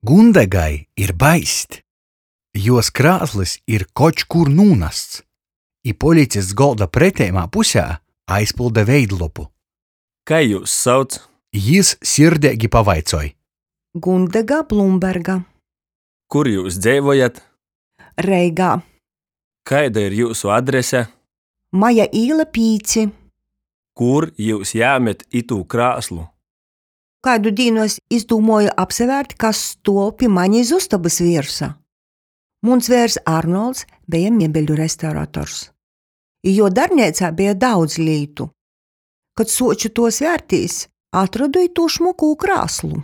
Gundegai ir baist. Juos krāslys ir koč kur nūnasts, i policists golda preteimā pusē aizpylda veidlopu. Kai jius sauc? Jis sirdeigi pavaicoj. Gundega Blumberga. Kur jius dzeivojat? Reigā. Kaida ir jiusu adrese? Maja īla 5. Kur jius jēmet itū krāslu? Kaidu dīnu es izdūmuoju apsavērt, kas stuov pi mane iz ustobys viersa. Muns veirs Arnolds beja miebeļu restaurators. I juo darbneicā beja daudz lītu. Kod suoču tuos vērtīs, atrodu itū šmukū krāslu.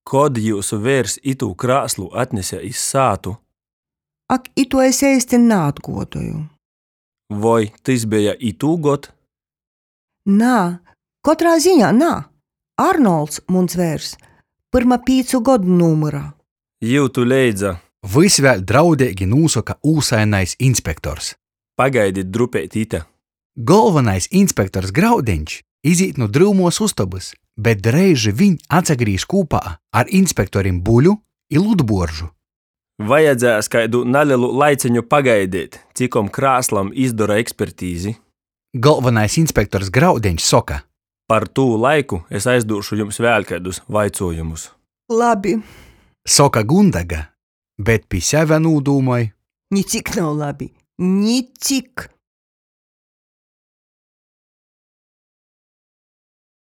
Kod jiusu veirs itū krāslu atnese iz sātu? Ak, ituo es eisti naatguodoju. Voi tys beja itūgod? Nā, kotrā ziņā nā. Arnolds, muns veirs, pyrma pīcu godu nūmyra. Jiutu leidza. Vys vēļ draudeigi nūsoka ūsainais inspektors. Pagaidit drupeit ite. Golvonais inspektors Graudeņš izīt nu dryumuos ustobys, bet dreiži viņ atsagrīž kūpā ar inspektorim Buļu i Ludbuoržu. Vajadzēs kaidu nalelu laiceņu pagaideit, cikom krāslam izdora ekspertizi. Golvonais inspektors Graudeņš soka. Par tū laiku es aizdūšu jums vēļ kaidus vaicuojumus. Labi. Soka Gundega, bet pi seve nūdūmoj. Nicik nav labi. Nicik!